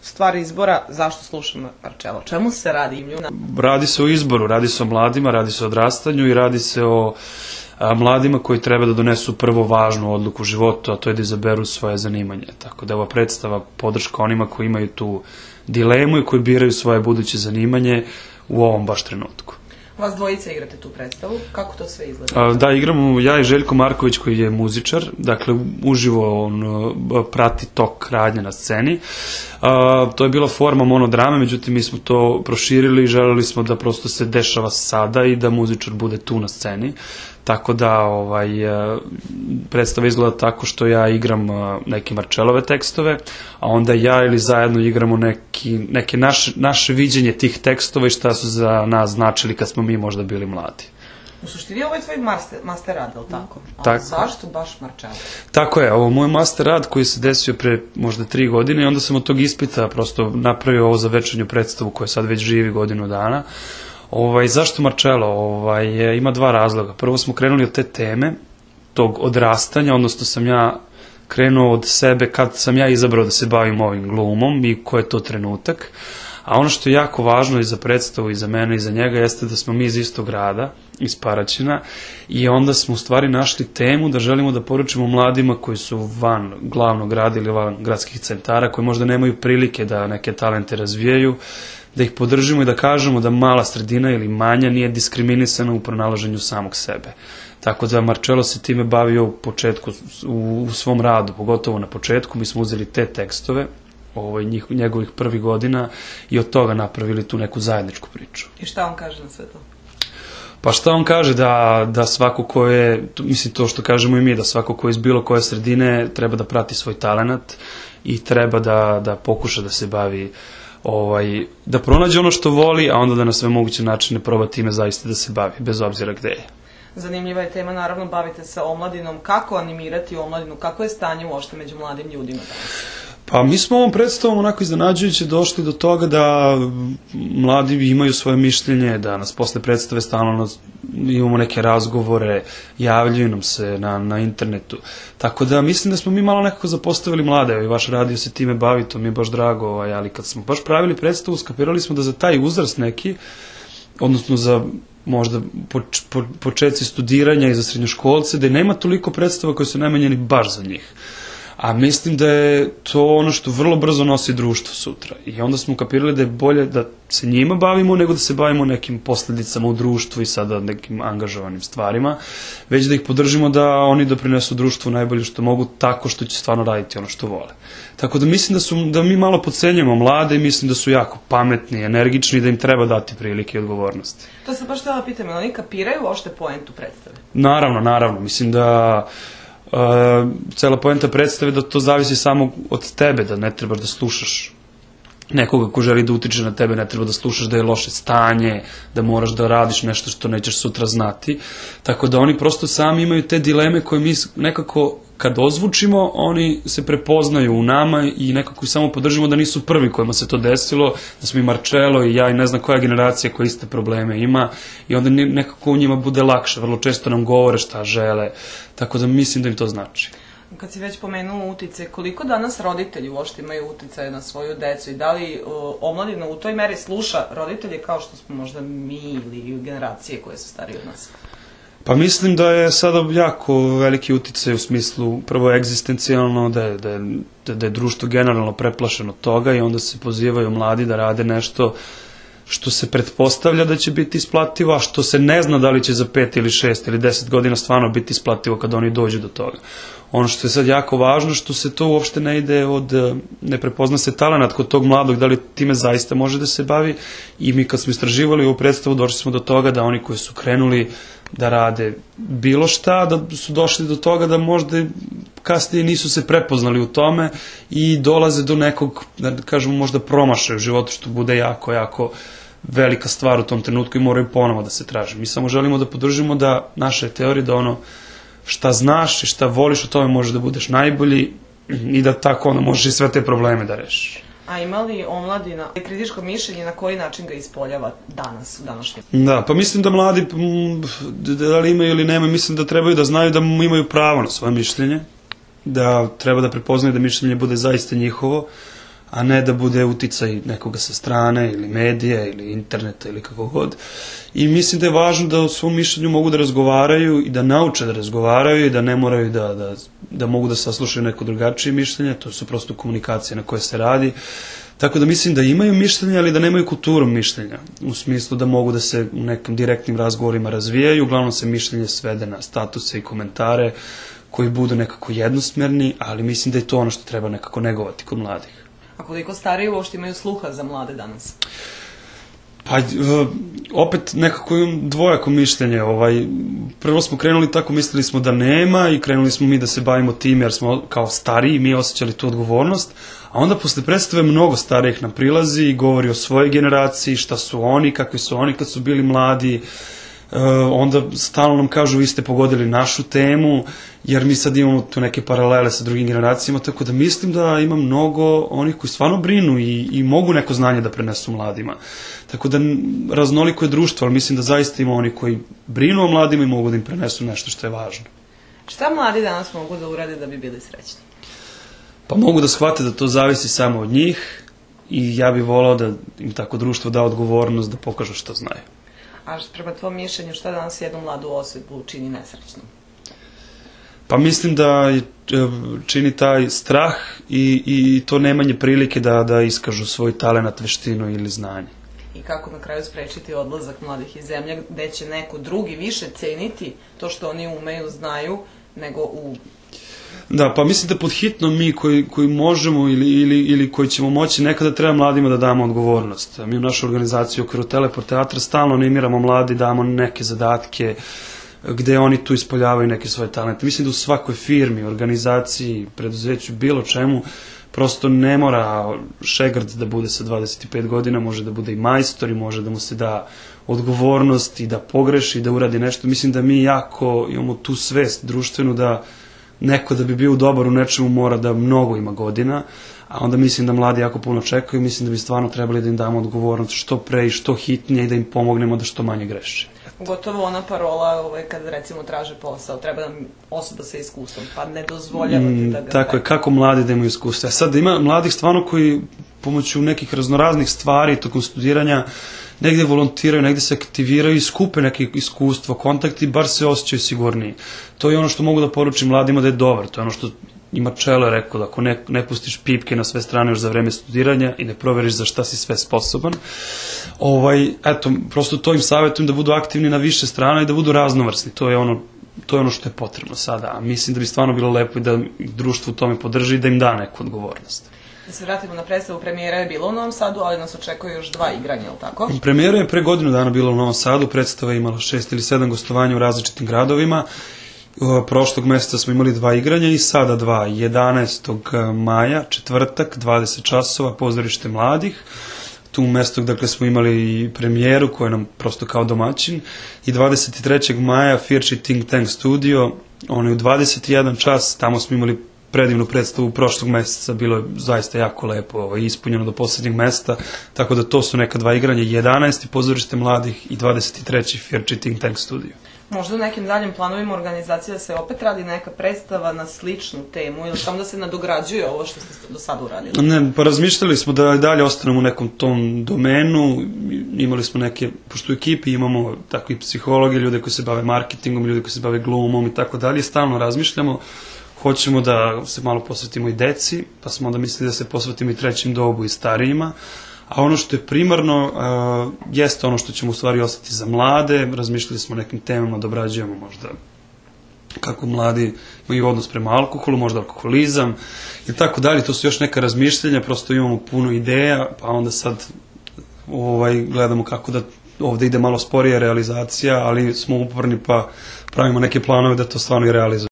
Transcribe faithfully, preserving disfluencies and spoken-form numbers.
stvar izbora, zašto slušam Marcello? Čemu se radi? Radi se o izboru, radi se o mladima, radi se o odrastanju i radi se o a, mladima koji treba da donesu prvo važnu odluku u životu, a to je da izaberu svoje zanimanje. Tako da ova predstava podrška onima koji imaju tu dilemu i koji biraju svoje buduće zanimanje u ovom baš trenutku. Vas dvojica igrate tu predstavu, kako to sve izgleda? Da, igramo ja i Željko Marković koji je muzičar, dakle uživo on prati tok radnje na sceni. A, to je bila forma monodrame, međutim mi smo to proširili i želeli smo da prosto se dešava sada i da muzičar bude tu na sceni. Tako da ovaj, predstava izgleda tako što ja igram neke Marcellove tekstove, a onda ja ili zajedno igramo neki, neke naše, naše viđenje tih tekstova i šta su za nas značili kad smo mi možda bili mladi. U suštini ovo je tvoj master, master rad, je li tako? A tako. Zašto baš Marcello? Tako je, ovo je moj master rad koji se desio pre možda tri godine i onda sam od tog ispita prosto napravio ovo za večernju predstavu koja sad već živi godinu dana. Ovaj, zašto Marcello? Ovaj, ima dva razloga. Prvo smo krenuli od te teme, tog odrastanja, odnosno sam ja krenuo od sebe kad sam ja izabrao da se bavim ovim glumom i ko je to trenutak. A ono što je jako važno i za predstavu i za mene i za njega jeste da smo mi iz istog grada, iz Paraćina, i onda smo u stvari našli temu da želimo da poručimo mladima koji su van glavnog grada ili van gradskih centara, koji možda nemaju prilike da neke talente razvijaju, da ih podržimo i da kažemo da mala sredina ili manja nije diskriminisana u pronalaženju samog sebe. Tako da Marcello se time bavio u početku, u, u svom radu, pogotovo na početku, mi smo uzeli te tekstove, ovaj, njih, njegovih prvih godina i od toga napravili tu neku zajedničku priču. I šta on kaže na sve to? Pa šta on kaže, da, da svako ko je, mislim to što kažemo i mi, da svako ko je iz bilo koje sredine treba da prati svoj talenat i treba da, da pokuša da se bavi, ovaj, da pronađe ono što voli, a onda da na sve moguće načine proba time zaista da se bavi, bez obzira gde je. Zanimljiva je tema, naravno bavite se omladinom. Kako animirati omladinu? Kako je stanje uopšte među mladim ljudima danas? Pa mi smo ovom predstavom onako iznenađujuće došli do toga da mladi imaju svoje mišljenje, da nas posle predstave stalno imamo neke razgovore, javljaju nam se na, na internetu. Tako da mislim da smo mi malo nekako zapostavili mlade, i vaš radio se time bavi, to mi je baš drago, ovaj, ali kad smo baš pravili predstavu, skapirali smo da za taj uzrast neki, odnosno za možda poč, po, početci studiranja i za srednjoškolce, da nema toliko predstava koje su namenjeni baš za njih. A mislim da je to ono što vrlo brzo nosi društvo sutra. I onda smo kapirali da je bolje da se njima bavimo nego da se bavimo nekim posledicama u društvu i sada nekim angažovanim stvarima, već da ih podržimo da oni doprinesu društvu najbolje što mogu tako što će stvarno raditi ono što vole. Tako da mislim da, su, da mi malo podcenjujemo mlade i mislim da su jako pametni, energični i da im treba dati prilike i odgovornosti. To sam baš htjela pitam, ali oni kapiraju ošte poentu predstave? Naravno, naravno. Mislim da Uh, cela poenta predstave da to zavisi samo od tebe, da ne trebaš da slušaš nekoga ko želi da utiče na tebe, ne treba da slušaš da je loše stanje, da moraš da radiš nešto što nećeš sutra znati. Tako da oni prosto sami imaju te dileme koje mi nekako kad ozvučimo, oni se prepoznaju u nama i nekako samo podržimo da nisu prvi kojima se to desilo, da smo i Marcello i ja i ne znam koja generacija koja iste probleme ima i onda nekako u njima bude lakše, vrlo često nam govore šta žele, tako da mislim da im to znači. Kad si već pomenuo utice, koliko danas roditelji uopšte imaju uticaje na svoju decu i da li o, omladina u toj meri sluša roditelje kao što smo možda mi ili generacije koje su starije od nas? Pa mislim da je sada jako veliki uticaj u smislu prvo egzistencijalno, da je, da je, da je društvo generalno preplašeno toga i onda se pozivaju mladi da rade nešto što se pretpostavlja da će biti isplativo, a što se ne zna da li će za pet ili šest ili deset godina stvarno biti isplativo kad oni dođu do toga. Ono što je sad jako važno, što se to uopšte ne ide od, ne prepozna se talenat kod tog mladog, da li time zaista može da se bavi i mi kad smo istraživali ovu predstavu došli smo do toga da oni koji su krenuli da rade bilo šta, da su došli do toga da možda kasnije nisu se prepoznali u tome i dolaze do nekog, da kažemo, možda promašaja u životu, što bude jako, jako velika stvar u tom trenutku i moraju ponovo da se traže. Mi samo želimo da podržimo da naše teorije, da ono šta znaš i šta voliš, u tome možeš da budeš najbolji i da tako ono možeš i sve te probleme da rešiš. A ima li omladina kritičko mišljenje, na koji način ga ispoljava danas, u današnjem? Da, pa mislim da mladi, da li imaju ili nema, mislim da trebaju da znaju da imaju pravo na svoje mišljenje, da treba da prepoznaju da mišljenje bude zaista njihovo, a ne da bude uticaj nekoga sa strane ili medija ili interneta ili kako god. I mislim da je važno da u svom mišljenju mogu da razgovaraju i da nauče da razgovaraju i da ne moraju da, da, da mogu da saslušaju neko drugačije mišljenje, to su prosto komunikacije na koje se radi. Tako da mislim da imaju mišljenje, ali da nemaju kulturu mišljenja, u smislu da mogu da se u nekim direktnim razgovorima razvijaju, uglavnom se mišljenje svede na statuse i komentare koji budu nekako jednosmerni, ali mislim da je to ono što treba nekako negovati kod mladih. A koliko stariji uopšte imaju sluha za mlade danas? Pa, opet nekako imam dvojako mišljenje. Ovaj, prvo smo krenuli tako, mislili smo da nema i krenuli smo mi da se bavimo tim jer smo kao stariji, mi osjećali tu odgovornost, a onda posle predstave mnogo starijih nam prilazi i govori o svojoj generaciji, šta su oni, kakvi su oni kad su bili mladi. Uh, onda stalno nam kažu vi ste pogodili našu temu, jer mi sad imamo tu neke paralele sa drugim generacijama, tako da mislim da ima mnogo onih koji stvarno brinu i, i mogu neko znanje da prenesu mladima. Tako da raznoliko je društvo, ali mislim da zaista ima oni koji brinu o mladima i mogu da im prenesu nešto što je važno. Šta mladi danas mogu da urade da bi bili srećni? Pa mogu da shvate da to zavisi samo od njih i ja bih volao da im tako društvo da odgovornost da pokažu što znaju. A prema tvojom mišljenju, šta danas jednu mladu osobu čini nesrećnom? Pa mislim da čini taj strah i, i to nemanje prilike da, da iskažu svoj talenat, veštinu ili znanje. I kako na kraju sprečiti odlazak mladih iz zemlje, gde će neko drugi više ceniti to što oni umeju, znaju, nego u... Da, pa mislim da pod hitno mi koji, koji možemo ili, ili, ili koji ćemo moći, nekada treba mladima da damo odgovornost. Mi u našoj organizaciji u okviru Teleport teatra stalno animiramo mladi, damo neke zadatke gde oni tu ispoljavaju neke svoje talente. Mislim da u svakoj firmi, organizaciji, preduzeću, bilo čemu, prosto ne mora šegrc da bude sa dvadeset pet godina, može da bude i majstor i može da mu se da odgovornost i da pogreši i da uradi nešto. Mislim da mi jako imamo tu svest društvenu da neko da bi bio dobar u nečemu mora da mnogo ima godina, a onda mislim da mladi jako puno čekaju, mislim da bi stvarno trebali da im damo odgovornost što pre i što hitnije i da im pomognemo da što manje greše. Gotovo ona parola ovaj, kad recimo traže posao, treba nam osoba sa iskustvom, pa ne dozvoljavate da ga... Tako je, kako mladi da imaju iskustva. Sad da ima mladih stvarno koji pomoću nekih raznoraznih stvari tokom studiranja negde volontiraju, negde se aktiviraju i skupe neke iskustva, kontakti, bar se osjećaju sigurniji. To je ono što mogu da poručim mladima da je dobar, to je ono što i Marcello je rekao, da ako ne, ne pustiš pipke na sve strane još za vreme studiranja i ne proveriš za šta si sve sposoban, ovaj, eto, prosto to im savjetujem da budu aktivni na više strana i da budu raznovrsni, to je ono, to je ono što je potrebno sada, a mislim da bi stvarno bilo lepo i da društvo u tome podrži i da im da neku odgovornost. Da se vratimo na predstavu, premijera je bila u Novom Sadu, ali nas očekuje još dva igranja, ili tako? Premijera je pre godinu dana bila u Novom Sadu, predstava je imala šest ili sedam gostovanja u različitim gradovima. Prošlog meseca smo imali dva igranja i sada dva, jedanaestog maja, četvrtak, dvadeset časova, pozorište mladih. Tu mesto, dakle, smo imali i premijeru koja je nam prosto kao domaćin i dvadeset trećeg maja Firči Think Tank studio, ono je u dvadeset jedan čas, tamo smo imali predivnu predstavu prošlog meseca, bilo je zaista jako lepo, ovo, ispunjeno do poslednjeg mesta, tako da to su neka dva igranja, jedanaesti pozorište mladih i dvadeset treći Firči Think Tank studio. Možda u nekim daljim planovima organizacija se opet radi neka predstava na sličnu temu ili samo da se nadograđuje ovo što ste do sada uradili? Ne, pa razmišljali smo da dalje ostanemo u nekom tom domenu, imali smo neke, pošto u ekipi imamo takvi psihologi, ljude koji se bave marketingom, ljude koji se bave glumom i tako dalje, stalno razmišljamo. Hoćemo da se malo posvetimo i deci, pa smo onda mislili da se posvetimo i trećem dobu i starijima, a ono što je primarno uh, jeste ono što ćemo u stvari ostati za mlade, razmišljali smo o nekim temama da obrađujemo možda kako mladi imaju odnos prema alkoholu, možda alkoholizam i tako dalje, to su još neka razmišljenja, prosto imamo puno ideja, pa onda sad ovaj, gledamo kako da ovde ide malo sporija realizacija, ali smo uporni pa pravimo neke planove da to stvarno i realizujemo.